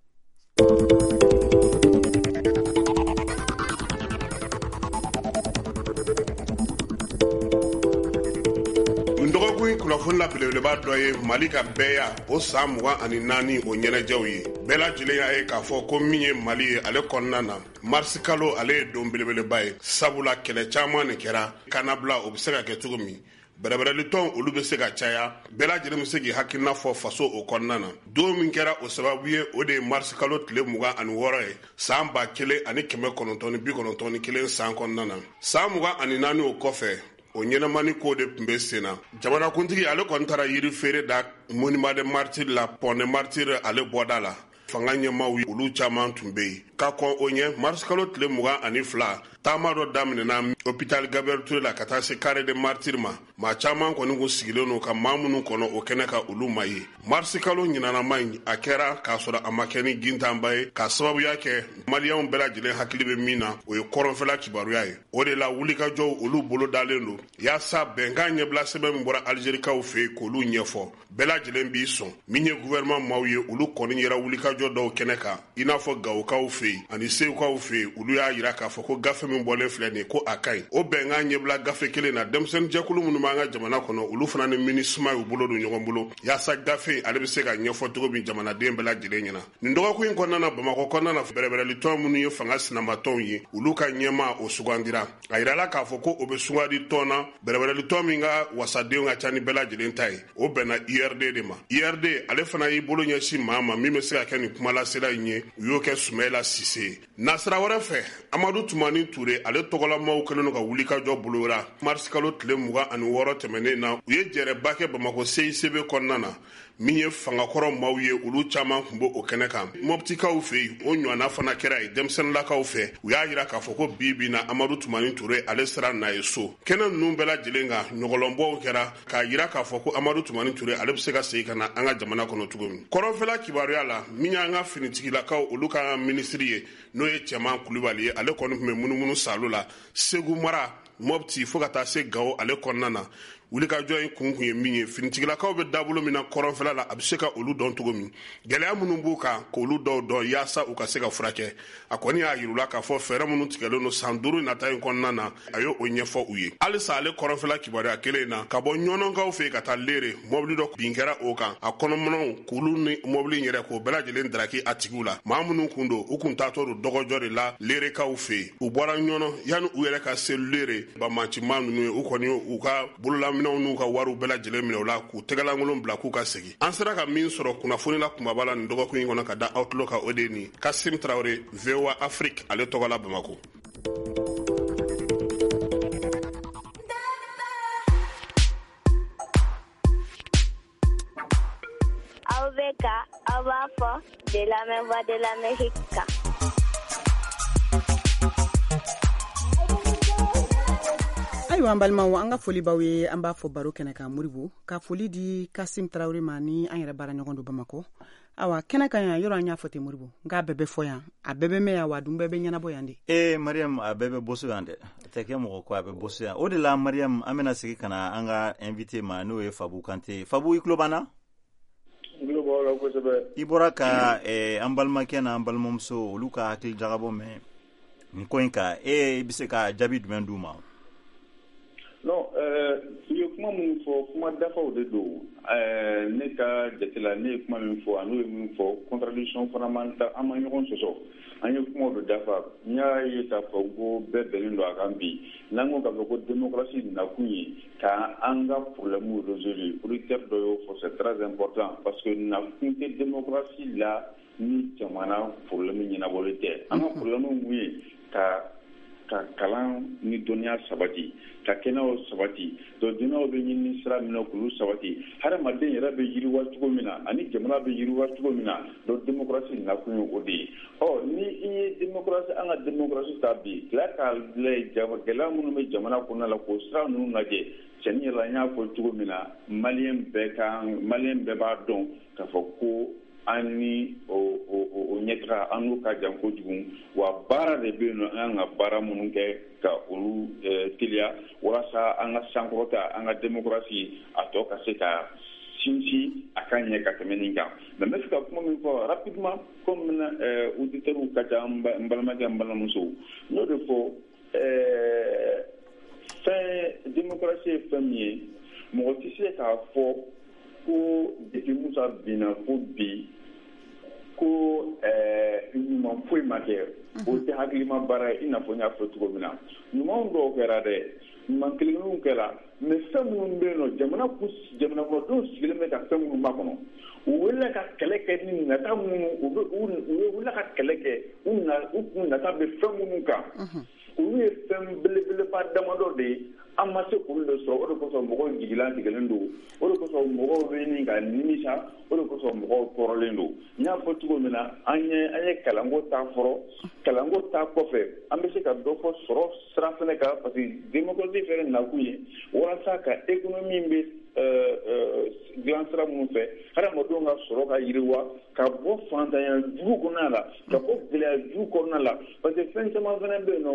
Dɔgɔkun kunnafoni la belebeleba dɔ ye Mali ka bɛɛya o san mugan ani naani o ɲɛnajɛw ye. Bɛɛ lajɛlen y'a ye k'a fɔ ko min ye Mali ye ale kɔnɔna na, marisi kalo ale ye don belebeleba ye, sabula kɛlɛ caman de kɛra kannabila o bɛ se ka kɛ cogo min, bɛrɛbɛrɛlitɔn olu bɛ se ka caya, bɛɛ lajɛlen bɛ se k'i hakilina fɔ faso o kɔnɔna na. Don min kɛra o sababu ye, o de ye marisi kalo tile mugan ani wɔɔrɔ ye san ba kelen ani kɛmɛ kɔnɔntɔn ni bi kɔnɔntɔn ni kelen san kɔnɔna na. San mugan ani naani o kɔfɛ, o ɲɛnamani ko de tun bɛ sen na. Jamanakuntigi ale kɔni taara yiri feere da monument des martyrs la, pont des martyrs ale bɔda la. Fanga ɲɛmaaw olu caman tun bɛ yen. Ka kɔn o ɲɛ, marisi kalo tile mugan ani fila, taama dɔ daminɛna hôpital Gabriel Touré la ka taa se carré des martyrs ma. Maa caman kɔni kun sigilen don ka maa minnu kɔnɔ o kɛnɛ ka olu ma ye. Marisi kalo ɲinanama in, a kɛra k'a sɔrɔ a ma kɛ ni gintanba ye, k'a sababuya kɛ maliyɛnw bɛɛ lajɛlen hakili bɛ min na, o ye kɔrɔnfɛla kibaruya ye. O de la wulikajɔw olu bolo dalen don yaasa bɛnkan ɲɛbila sɛbɛn min bɔra Algérikaw fɛ yen k'olu ɲɛfɔ. Bɛɛ lajɛlen b'i sɔn. Min ye gouvernement maaw ye, olu kɔni yɛrɛ wulikajɔ dɔw kɛnɛ kan, i n'a fɔ Gawokaw fɛ yen ani Segukaw fɛ yen, olu y'a yira k'a fɔ ko gafe min bɔlen filɛ nin ye ko a ka ɲi. O bɛnkan ɲɛbila gafe kelen na, denmisɛnninjɛkulu minnu b'an ka jamana kɔnɔ, olu fana ni MINUSMA y'u bolo don ɲɔgɔn bolo yaasa gafe ale bɛ se ka ɲɛfɔ cogo min jamanaden bɛɛ lajɛlen ɲɛna. Nin dɔgɔkun in kɔnɔna na, Bamakɔ kɔnɔna na, bɛrɛbɛrɛlitɔn minnu ye fanga sinamatɔnw ye, olu ka ɲɛmaa o sugandira. A yirala k'a fɔ ko o bɛ sugandi tɔn na, bɛrɛbɛrɛlitɔn min ka wasadenw ka ca ni bɛɛ lajɛlen ta ye, o bɛnna U R D de ma. U R D ale fana y'i bolo ɲɛsin maa ma min bɛ se ka kɛ nin kumalasela in ye, u y'o kɛ Sumayila Sise. Nasira wɛrɛ fɛ, Amadu Tumani Ture ale tɔgɔlamaw kɛlen don ka wulikajɔ boloda marisi kalo tile mugan ani wɔɔrɔ tɛmɛnen na. U ye jɛrɛba kɛ Bamakɔ C I C B kɔnɔna na, min ye fangakɔrɔ maaw ye, olu caman tun b'o kɛnɛ kan. Mɔptikaw fɛ yen, o ɲɔgɔnna fana kɛra yen denmisɛnninlakaw fɛ. U y'a yira k'a fɔ ko bi bi na Amadu Tumani Ture ale sera n'a ye so. Kɛnɛ ninnu bɛɛ lajɛlen kan, ɲɔgɔlɔnbɔw kɛra k'a yira k'a fɔ ko Amadu Tumani Ture ale bɛ se ka segin ka na an ka jamana kɔnɔ cogo min. Kɔrɔnfɛla kibaruya la, min y'an ka finitigilakaw olu ka minisiri ye, n'o ye Cɛman Kulubali ye, ale kɔni tun bɛ munumunu salo la Segu mara, Mɔpti fo ka taa se Gawo ale kɔnɔna na. Wulikajɔ in kun kun ye min ye, finitigilakaw bɛ dabolo min na kɔrɔnfɛla la, a bɛ se ka olu dɔn cogo min, gɛlɛya minnu b'u kan k'olu dɔw dɔn yaasa u ka se ka furakɛ. A kɔni y'a yir'u la k'a fɔ fɛɛrɛ minnu tigɛlen don san duuru nata in kɔnɔna na, a y'o ɲɛfɔ u ye. Halisa ale kɔrɔnfɛla kibaruya kelen in na, ka bɔ Ɲɔnɔnkaw fɛ yen ka taa Lere, mɔbili dɔ bin kɛra o kan, a kɔnɔminɛnw k'olu ni mɔbili in yɛrɛ k'o bɛɛ lajɛlen daraki a tigiw la. Maa minnu kun don, u kun taatɔ don dɔgɔjɔ de la Lerekaw fɛ yen. U bɔra Ɲɔnɔ yanni u yɛrɛ ka se Lere, banbaancimaa ninnu ye, u kɔni u ka bolola minɛnw n'u ka wariw bɛɛ lajɛlen minɛ u la k'u tɛgɛlankolon bila k'u ka segin. An sera ka min sɔrɔ kunnafoni la kunbaba la nin dɔgɔkun in kɔnɔ ka da aw tulo kan, o de ye nin Kasim Tarawele, V O A Afrique ale tɔgɔ la Bamakɔ. Aw bɛ ka aw b'a fɔ de lamɛn Voix de l'Amérique kan. Ayiwa an balimaw, an ka foli b'aw ye, an b'a fɔ baro kɛnɛ kan Moribo, ka foli di Kasim Tarawele ma ni an yɛrɛ baara ɲɔgɔn don Bamakɔ. Awa kɛnɛ kan yan, yɔrɔ an y'a fɔ ten Moribo, nka a bɛɛ bɛ fɔ yan, a bɛɛ bɛ mɛn yan, wa a dun bɛɛ bɛ ɲɛnabɔ yan de. Ee Mariam, a bɛɛ bɛ boso yan dɛ, a tɛ kɛ mɔgɔ ko a bɛ boso yan. O de la Mariam, an bɛna segin ka na an ka invité ma, n'o ye Fabu Kante. Fabu, i tulo b'an na? N tulo b'aw la kosɛbɛ. I bɔra ka eh, an balimakɛ n'an balimamuso olu ka hakili jagabɔ mɛn Nin ko in kan, e bɛ se ka jaabi jumɛn d'u ma? Non, u ye kuma minnu fɔ, kuma dafaw de don. Ne ka jate la, ne ye kuma min fɔ, a n'o ye min fɔ, contradiction fana man ta, an ma ɲɔgɔn sɔsɔ, an ye kumaw de dafa. N y'a ye k'a fɔ ko bɛɛ bɛnnen don a kan bi. N'an ko k'a fɔ ko démocratie nakun ye ka an ka problème résoudre, auditeur dɔ y'o fɔ, c'est très important, parce que nakun tɛ démocratie la ni jamana problème ɲɛnabɔli tɛ. An ka problème mun ye? Ka ka kalan ni dɔnniya sabati, ka kɛnɛyaw sabati. Donc dɔnniyaw bɛ ɲini sira min na k'olu sabati, hadamaden yɛrɛ bɛ yiriwa cogo min na ani jamana bɛ yiriwa cogo min na. Donc démocratie nakun ye o de ye. Ɔ, ni i ye démocratie, an ka démocratie ta bi, tila k'a lajɛ gɛlɛya minnu bɛ jamana kɔnɔna la, k'o sira ninnu lajɛ. Cɛnni yɛrɛ la, n y'a fɔ cogo min na, maliyɛn bɛɛ kan, maliyɛn bɛɛ b'a dɔn k'a fɔ ko an ni o o ɲɛtaga, an n'o ka jan kojugu. Wa baara de bɛ yen nɔ, an kan ka baara minnu kɛ ka olu teliya walasa an ka sankɔrɔta, an ka démocratie a tɔ ka se ka sinsin, a ka ɲɛ ka tɛmɛ nin kan. Mais n bɛ fɛ ka kuma min fɔ rapidement, comme auditeurs ka ca, n balimakɛ, n balimamuso, n y'o de fɔ. Fɛn démocratie ye fɛn min ye, mɔgɔ tɛ se k'a fɔ ko depuis Musa binna fo bi ko ɲuman foyi ma kɛ. O tɛ hakilima baara ye. I n'a fɔ n y'a fɔ cogo min na, ɲuman dɔw kɛra dɛ, ɲuman kelen-kelenw kɛra, mais fɛn minnu bɛ yen nɔ, jamana jamana kɔnɔdenw sigilen bɛ ka fɛn minnu makɔnɔ, u wulila ka kɛlɛ kɛ ni nata minnu, u bɛ u wulila ka kɛlɛ kɛ, u na u kun nata bɛ fɛn minnu kan, olu ye fɛn belebeleba damadɔ de ye. An ma se k'olu de sɔrɔ. O de kosɔn mɔgɔw jigilatigɛlen don, o de kosɔn mɔgɔw bɛ ɲini ka nimisa, o de kosɔn mɔgɔw tɔɔrɔlen don. N y'a fɔ cogo min na, an ye an ye kalanko ta fɔlɔ. Kalanko ta kɔfɛ, an bɛ se ka dɔ fɔ sɔrɔ sira fɛnɛ kan, parce que démocratie fɛnɛ nakun ye walasa ka économie bɛ dilan sira minnu fɛ, hadamadenw ka sɔrɔ ka yiriwa, ka bɔ fantanya jugu kɔnɔna la, ka bɔ gɛlɛya jugu kɔnɔna la. Parce que fɛn caman fɛnɛ bɛ yen nɔ,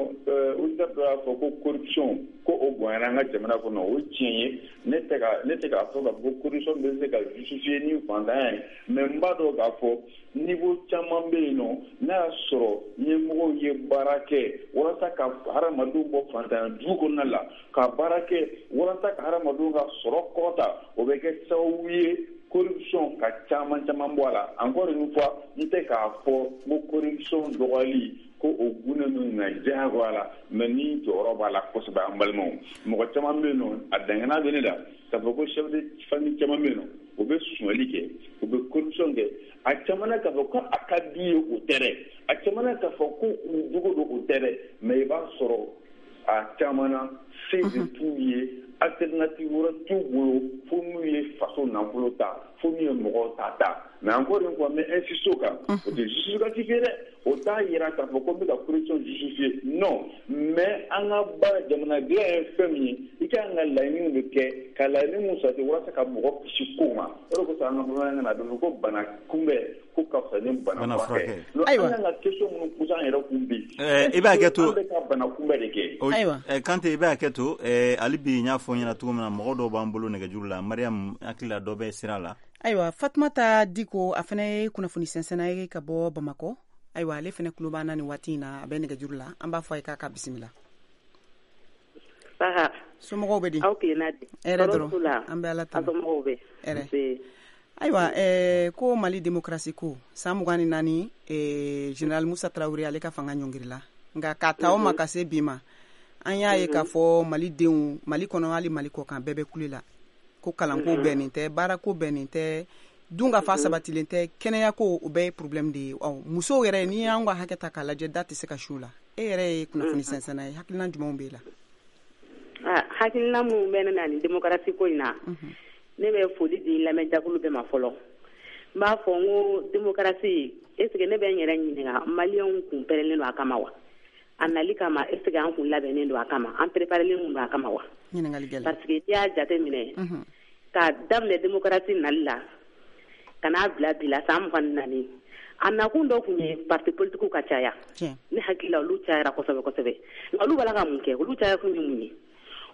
auditeur dɔ y'a fɔ ko corruption, ko o bonyana an ka jamana kɔnɔ, o ye tiɲɛ ye. Ne tɛ ka ne tɛ k'a fɔ k'a fɔ ko corruption bɛ se ka justifier ni fantanya ye, mais n b'a dɔn k'a fɔ niveau caman bɛ yen nɔ, n'a y'a sɔrɔ ɲɛmɔgɔw ye baara kɛ walasa ka hadamadenw bɔ fantanya jugu kɔnɔna la, ka baara kɛ walasa ka hadamadenw ka sɔrɔ kɔrɔta, o bɛ kɛ sababu ye corruption ka caman caman bɔ a la. Encore une fois, n tɛ k'a fɔ ko corruption dɔgɔyali ko o gunnen don na diyagoya la, mais ni jɔyɔrɔ b'a la kosɛbɛ. An balimaw, mɔgɔ caman bɛ yen nɔ, a dangana bɛ ne la k'a fɔ ko chef de famille caman bɛ yen nɔ, u bɛ sonyali kɛ, u bɛ corruption kɛ. A caman na k'a fɔ ko a ka d'u ye, o tɛ dɛ. A caman na k'a fɔ ko u jogo don, o tɛ dɛ. Mais i b'a sɔrɔ a caman na, se de t'u ye, alternative wɛrɛ t'u bolo fo n'u ye faso nafolo ta, fo n'u ye mɔgɔw ta ta. Mais encore une fois, n bɛ insister o kan, o tɛ justificatif ye dɛ, o t'a yira k'a fɔ ko n bɛ ka corruption justifier, non. Mais an ka baara, jamana dilan ye fɛn min ye, i ka kan ka laɲiniw de kɛ, ka laɲini mun sabati walasa ka mɔgɔ kisi kow ma. O de kosɔn an ka bamanankan na, a bɛ fɔ ko bana kunbɛn ko ka fisa ni bana furakɛ. Ayiwa, an kan ka question minnu poser an yɛrɛ kun bi, i b'a kɛ to an bɛ ka bana kunbɛn de kɛ. Ayiwa, Kante, i b'a kɛ to hali bi. N y'a fɔ n ɲɛna cogo min na, mɔgɔ dɔw b'an bolo nɛgɛjuru la. Mariam, hakili la dɔ bɛ sira la. Ayiwa, Fatumata Diko, a fana ye kunnafoni sɛnsɛnna ye ka bɔ Bamakɔ. Ayiwa, ale fana tulo b'an na nin waati in na, a bɛ nɛgɛjuru la. An b'a fɔ a ye k'a ka bisimila. Somɔgɔw bɛ di? Aw tilenna di? Hɛrɛ dɔrɔn, an bɛ Ala tanu. Somɔgɔw bɛ? Hɛrɛ. Ayiwa, ɛɛ ko Mali démocratie ko san mugan ni naani, ɛɛ général Musa Tarawele ale ka fanga ɲɔngirila, nka k'a ta o ma ka se bi ma, an y'a ye k'a fɔ malidenw, Mali kɔnɔ hali Mali kɔ kan, bɛɛ bɛ kule la ko kalanko bɛnnen tɛ, baarako bɛnnen tɛ, dun ka fa sabatilen tɛ, kɛnɛyako, o bɛɛ ye problème de ye. Ɔ, musow yɛrɛ, n'i y'an ka hakɛ ta k'a lajɛ, da tɛ se ka su la. E yɛrɛ ye kunnafoni sɛnsɛnna ye, hakilina jumɛnw b'e la? Hakilina minnu bɛ ne na nin démocratie ko in na, ne bɛ foli di lamɛnjakulu bɛɛ ma fɔlɔ. N b'a fɔ n ko démocratie, est ce que ne bɛ n yɛrɛ ɲininka, maliyɛnw kun pɛrɛnlen don a kama wa? A nali kama, est ce que an kun labɛnnen don a kama, an préparelen don a kama wa? Parce que n'i y'a jateminɛ, k'a daminɛ démocratie nali la ka n'a bila bi la, san mugan ni naani, a nakun dɔ kun ye parti politique ka caya. Ne hakili la, olu cayara kosɛbɛ kosɛbɛ. Nka olu b'a la ka mun kɛ? Olu caya kun ye mun ye?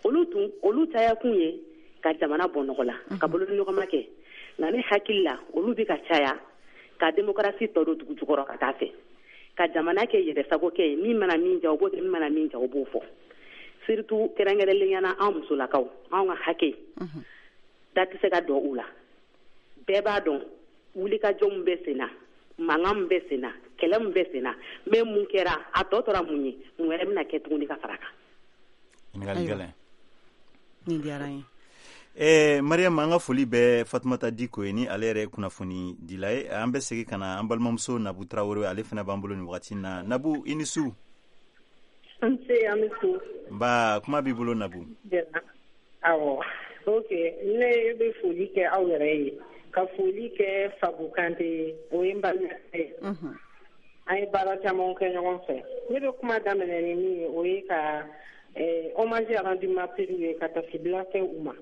Olu tun olu caya kun ye ka jamana bɔ nɔgɔ la, ka bolodiɲɔgɔnma kɛ. Nka ne hakili la, olu bɛ ka caya ka démocratie tɔ don dugu jukɔrɔ ka taa fɛ. Ka jamana kɛ yɛrɛsago kɛ ye, min mana min ja o b'o kɛ, min mana min ja o b'o fɔ. Surtout kɛrɛnkɛrɛnnenya la anw musolakaw, anw ka hakɛ da tɛ se ka dɔn u la. Bɛɛ b'a dɔn wulikajɔ min bɛ sen na, mankan min bɛ sen na, kɛlɛ min bɛ sen na, mais mun kɛra, a tɔ tora mun ye, mun wɛrɛ bɛna kɛ tuguni ka fara kan. Ɲininkali gɛlɛn. Nin diyara n ye. Eh, Mariam, an ka foli bɛ Fatumata Diko ye, ni ale yɛrɛ ye kunnafoni dila ye. An bɛ segin ka na an balimamuso Nabu Tarawele, ale fana b'an bolo nin wagati in na. Nabu, i ni su. Nse, an bɛ su. Nba, kuma b'i bolo, Nabu. Awɔ, ok, ne bɛ foli kɛ aw yɛrɛ ye, ka foli kɛ Fabu Kante ye, o ye n balimakɛ ye. An ye baara caman kɛ ɲɔgɔn fɛ. Ne bɛ kuma daminɛ ni min ye, o ye ka eh, hommage rendu martyrs ye, ka tasibila kɛ u ma.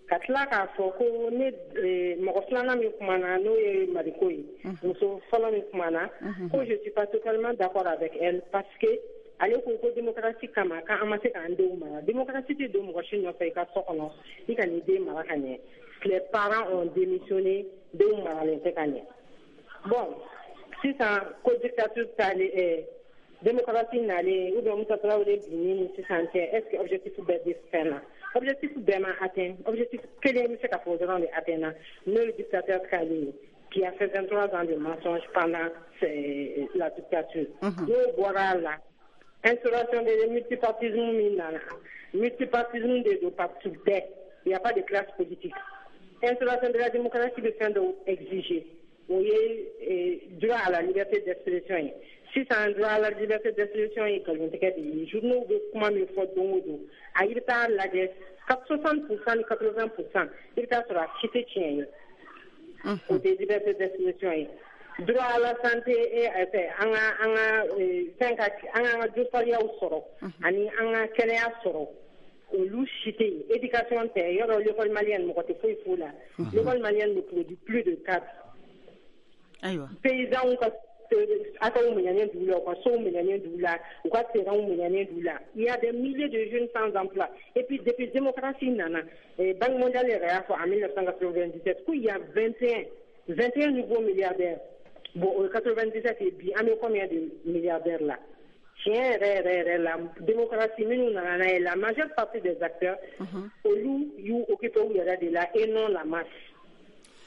Ka tila k'a fɔ ko ne eh, mɔgɔ filanan min kumana, n'o ye Mariko ye, muso fɔlɔ min kumana, ko je suis pas totalement d'accord avec elle, parce que ale ko ko démocratie kama k'an ma se k'an denw mara. Démocratie tɛ don mɔgɔ si nɔfɛ i ka so kɔnɔ i ka n'i den mara ka ɲɛ. Les parents ont démissionné, denw maralen tɛ ka ɲɛ. Bon, sisan ko dictature taalen, eh, démocratie nalen, ou bien Musa Tarawele binni ni sisan cɛ, est ce que objectif bɛɛ bɛ fɛn na? Objectif bɛɛ ma atteint. Objectif kelen bɛ se ka fɔ dɔrɔn de atteint na, n'o ye dictateur k'ale ye, qui a fait vingt-trois ans de mensonges pendant la dictature. N'o bɔra a la, instauration de multipartisme min nana, multipartisme de don, parti bɛɛ, il y a pas de classe politique. Instauration de la démocratie bɛ fɛn dɔw exiger, o ye droit à la liberté d'expression ye. Sisan droit à la liberté d'expression ye nkalontigɛ de ye. Journaux bɛ kuma min fɔ don o don, a i bɛ taa lajɛ, soixante pour cent ni quatre-vingts pour cent, i bɛ taa sɔrɔ a si tɛ tiɲɛ ye. O tɛ liberté d'expression ye. Droit à la santé et an ka an ka fɛn ka an ka josariyaw sɔrɔ ani an ka kɛnɛya sɔrɔ, olu si tɛ yen. Éducation tɛ yɔrɔ, l'école malienne mɔgɔ tɛ foyi f'o la. L'école malienne ne produit plus de cadres. Ayiwa, paysans ka ataw minɛnen d'u la, u ka sow minɛnen d'u la, u ka terrainw minɛnen d'u la. Il y a des milliers de jeunes sans emploi. Et puis depuis démocratie nana, Banque mondiale yɛrɛ y'a fɔ en mille neuf cent quatre-vingt-dix-sept qu'il y a vingt et un vingt et un nouveaux milliardaires. Bon, o ye quatre-vingt-dix-sept ye, bi an bɛ combien de milliardaires la? Tiɲɛ yɛrɛ yɛrɛ yɛrɛ la, démocratie minnu nana n'a ye, la majeure partie des acteurs, olu y'u occupé u yɛrɛ de la et non la masse.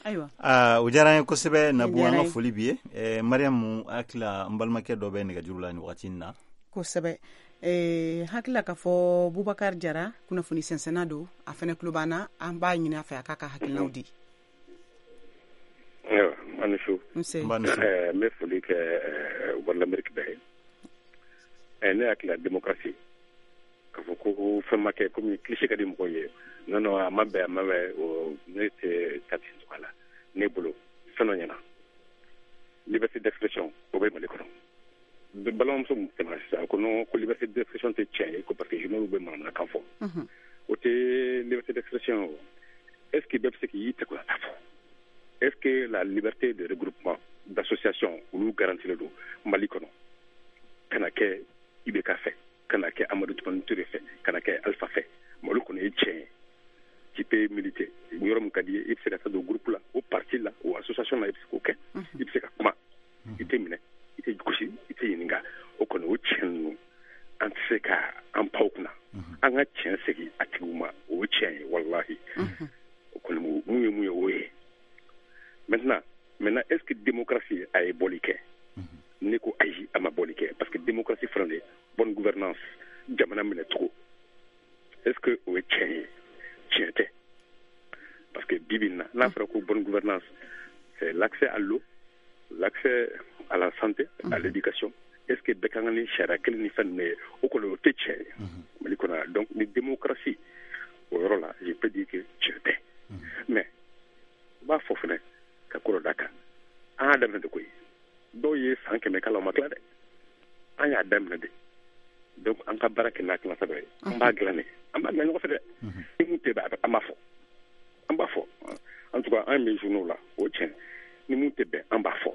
Ayiwa. Aa, o diyara an ye kosɛbɛ, Nabu, an ka foli b'i ye. eh, Mariamu, hakili n balimakɛ dɔ bɛ nɛgɛjuru la nin wagati in na. Kosɛbɛ. eh, hakili k'a fɔ Bubakar Jara, kunnafoni sɛnsɛnna don, a fɛnɛ tulo b'an na. An b'a ɲini a fɛ a k'a ka hakilinaw di. Ayiwa, an ni su. Nse. N bɛ foli kɛ Voix de l'Amérique bɛɛ ye. Ne hakili la, démocratie, k'a fɔ ko fɛn ma kɛ, komi cliché ka di mɔgɔw ye, non non, a ma bɛn, a ma bɛn, ne tɛ taa ten cogoya la. Ne bolo, fɛn dɔ ɲɛna, liberté d'expression, o bɛ Mali kɔnɔ. Balimamuso min tɛmɛna sisan ko non, ko liberté d'expression tɛ tiɲɛ ye, ko parce que journaux bɛ manamanakan fɔ, o tɛ liberté d'expression. O est ce que bɛɛ bɛ se k'i tɛgɛ ta fɔ? Est ce que la liberté de regroupement, d'association, olu garantilen don Mali kɔnɔ? Kana kɛ I B K fɛ, kana kɛ Amadu Tumani Ture fɛ, kana kɛ Alpha fɛ, Mali kɔnɔ ye tiɲɛ ye, tu peux militer yɔrɔ min ka di ye, i bɛ se ka taa don groupe la, o parti la, o association la, i bɛ se k'o kɛ, i bɛ se ka kuma, i tɛ minɛ, i tɛ gosi, i tɛ ɲininka. O kɔni, o tiɲɛ ninnu, an tɛ se ka an pan o kunna. An ka tiɲɛ segin a tigiw ma, o ye tiɲɛ ye, walahi. O kɔni, mun ye mun ye, o ye. Maintenant maintenant est ce que démocratie a ye bɔli kɛ? Ne ko ayi, a ma bɔli kɛ, parce que démocratie fana de bonne gouvernance, jamana minɛ cogo, est ce que o ye tiɲɛ ye? Tiɲɛ tɛ, parce que bi bi in na, n'a fɔra ko bonne gouvernance, c'est l'accès à l'eau, l'accès à la santé, à l'éducation, est ce que bɛɛ kan ka ni sariya kelen ni fɛn ninnu ye? O kɔni, o tɛ tiɲɛ ye Mali kɔnɔ. Donc ni démocratie, o yɔrɔ la, je peux dire que tiɲɛ tɛ. Mais n b'a fɔ fɛnɛ ka ko dɔ da kan, an y'a daminɛ de koyi. Dɔw ye san kɛmɛ k'a la, o ma tila dɛ. An y'a daminɛ de. Donc an ka baara kɛ n'a kilasa dɔ ye, an b'a dilan de, an b'a dilan ɲɔgɔn fɛ dɛ. Ni mun tɛ bɛn, an b'a fɔ, an b'a fɔ. En tout cas, an bɛ journaux la, o tiɲɛ, ni mun tɛ bɛn, an b'a fɔ.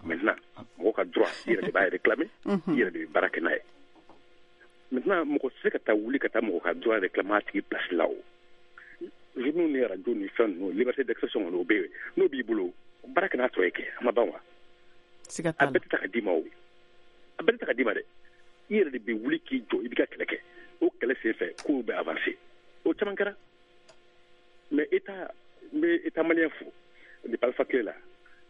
Maintenant, mɔgɔ ka droit, i yɛrɛ de b'a réclamer, i yɛrɛ de bɛ baara kɛ n'a ye. Maintenant, mɔgɔ tɛ se ka taa wuli ka taa mɔgɔ ka droit réclamer a tigi place la. O journaux ni radio ni fɛn ninnu, liberté d'expression kɔni, o bɛ yen. N'o b'i bolo, baara kɛ n'a tɔ ye kɛ, a ma ban wa? Siga A t'a la. bɛɛ tɛ ta ka d'i ma o, a bɛɛ tɛ ta ka d'i ma dɛ. I yɛrɛ de bɛ wuli k'i jɔ, i b'i ka kɛlɛ kɛ. O kɛlɛ sen fɛ, kow bɛ avancer, o caman kɛra. Mais état, n bɛ état malien fo depuis Alpha tile la,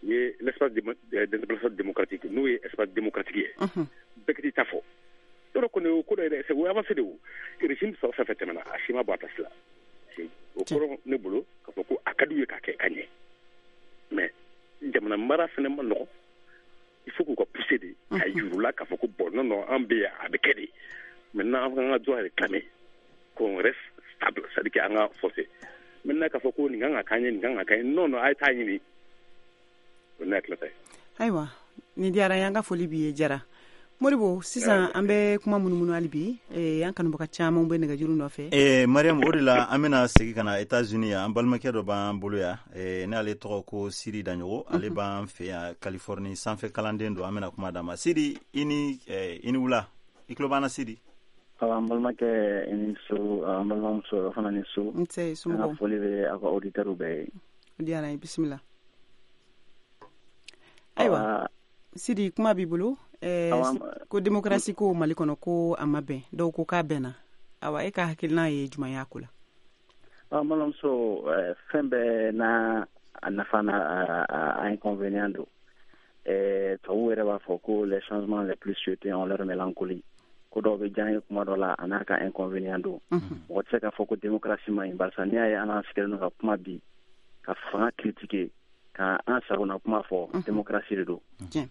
u ye l'espace d'interpellation démocratique, n'o ye espace démocratique ye, bɛɛ k'i ta fɔ. Yɔrɔ kɔni, o ko dɔ yɛrɛ, c'est o ye avancé de. O régime fɛn o fɛn tɛmɛna, a si ma bɔ a place la. O kɔrɔ ne bolo k'a fɔ ko a ka d'u ye k'a kɛ ka ɲɛ, mais jamana mara fɛnɛ ma nɔgɔn. Il faut k'u ka pousser de ka yir'u la k'a fɔ ko bon, non non, an bɛ yan, a bɛ kɛ de. Maintenant, an ka droit réclamer, qu'on reste stable, c'est à dire qu'an ka forcer maintenant k'a fɔ ko nin kan ka k'an ye, nin kan ka k'an ye. Non non, a ye taa ɲini. O ne hakilina ta ye. Ayiwa, nin diyara n ye. An ka foli b'i ye, Jara Moribo. Sisan an bɛ kuma munumunu hali bi. eh, an kanubaga caman bɛ nɛgɛjuru nɔfɛ. Eh, Mariam, o de la an bɛna segin ka na États-Unis yan. An balimakɛ dɔ b'an bolo yan, eh, n'ale tɔgɔ ko Siri Daɲogo, ale b'an fɛ yan Californie, sanfɛ kalanden don. An bɛna kuma d'a ma. Siri, i ni eh, i ni wula. I tulo b'an na, Siri? Awa, an balimakɛ, i ni so. An balimamuso fana, ni so. N tɛ An ka somɔgɔw? foli bɛ aw ka auditeurs bɛɛ ye. O diyara n ye, bisimila. Ayiwa Sidi, kuma b'i bolo. eh, Awa, ko démocratie ko Mali kɔnɔ, ko a ma bɛn, dɔw ko k'a bɛnna. Awa, e ka hakilina ye jumɛn y'a ko la? An balimamuso, eh, fɛn bɛɛ n'a a nafa n'a a, a, a inconvénient don. Eh, tubabuw yɛrɛ b'a fɔ ko les changements les plus souhaités ont leur mélancolie. Ko dɔw bɛ diya an ye kuma dɔ la, a n'a ka inconvénient don. Mɔgɔ tɛ se k'a fɔ ko démocratie man ɲi, barisa n'i y'a ye an sigilen don ka kuma bi, ka fanga critiquer, ka an sagona kuma fɔ, démocratie de don. Tiɲɛ.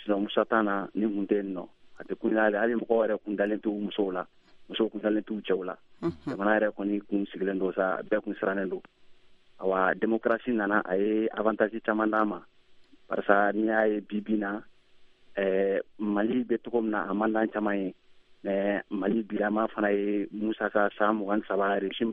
Sinon Musa t'a na ni kun tɛ yen nɔ, a tɛ kun hali hali mɔgɔw yɛrɛ kun dalen t'u musow la, musow kun dalen t'u cɛw la. Jamana yɛrɛ kɔni kun sigilen don sa, bɛɛ kun sirannen don. Awa, démocratie nana, a ye avantage caman d'an ma, barisa n'i y'a ye bi bi na, ɛɛ Mali bɛ cogo min na, a man d'an caman ye, mais Mali bilama fana ye Musa ka san mugan ni saba régime.